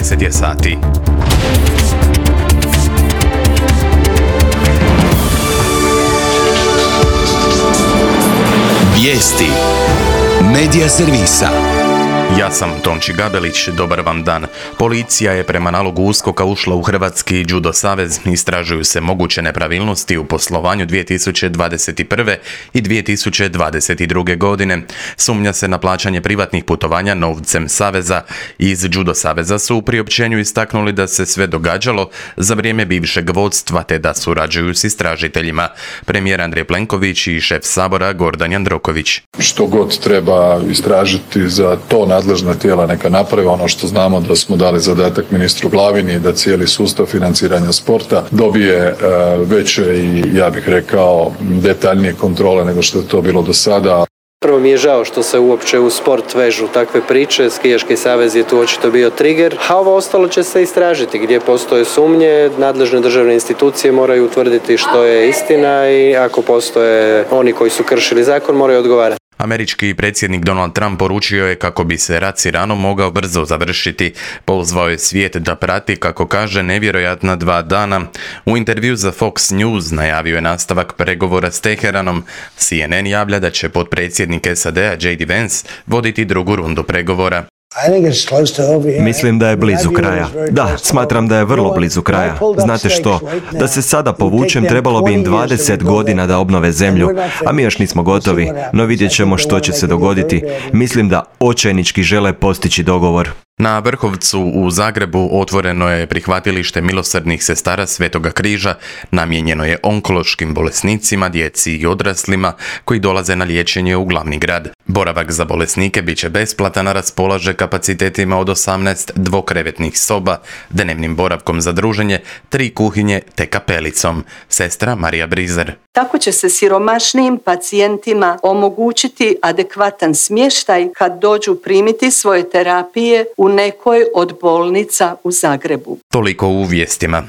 10 je sati. Vijesti Medija servisa. Ja sam Tonči Gabelić, dobar vam dan. Policija je prema nalogu USKOK-a ušla u Hrvatski judo savez. Istražuju se moguće nepravilnosti u poslovanju 2021. i 2022. godine. Sumnja se na plaćanje privatnih putovanja novcem saveza. Iz judo saveza su u priopćenju istaknuli da se sve događalo za vrijeme bivšeg vodstva te da surađuju s istražiteljima. Premijer Andrej Plenković i šef Sabora Gordan Jandroković. Što god treba istražiti za to nadležna tijela neka naprave. Ono što znamo da smo dali zadatak ministru Glavini da cijeli sustav financiranja sporta dobije veće i ja bih rekao detaljnije kontrole nego što je to bilo do sada. Prvo mi je žao što se uopće u sport vežu takve priče, skijaški savez je tu očito bio trigger, a ovo ostalo će se istražiti. Gdje postoje sumnje, nadležne državne institucije moraju utvrditi što je istina i ako postoje oni koji su kršili zakon moraju odgovarati. Američki predsjednik Donald Trump poručio je kako bi se rat s Iranom mogao brzo završiti. Pozvao je svijet da prati, kako kaže, nevjerojatna 2 dana. U intervju za Fox News najavio je nastavak pregovora s Teheranom. CNN javlja da će potpredsjednik SAD-a J.D. Vance voditi drugu rundu pregovora. Mislim da je blizu kraja. Da, smatram da je vrlo blizu kraja. Znate što? Da se sada povučem, trebalo bi im 20 godina da obnove zemlju, a mi još nismo gotovi, no vidjet ćemo što će se dogoditi. Mislim da očajnički žele postići dogovor. Na Vrhovcu u Zagrebu otvoreno je prihvatilište milosrdnih sestara Svetoga križa, namijenjeno je onkološkim bolesnicima, djeci i odraslima koji dolaze na liječenje u glavni grad. Boravak za bolesnike bit će besplatan, a raspolaže kapacitetima od 18 dvokrevetnih soba, dnevnim boravkom za druženje, 3 kuhinje te kapelicom. Sestra Marija Brizer. Tako će se siromašnijim pacijentima omogućiti adekvatan smještaj kad dođu primiti svoje terapije u nekoj od bolnica u Zagrebu. Toliko u vijestima.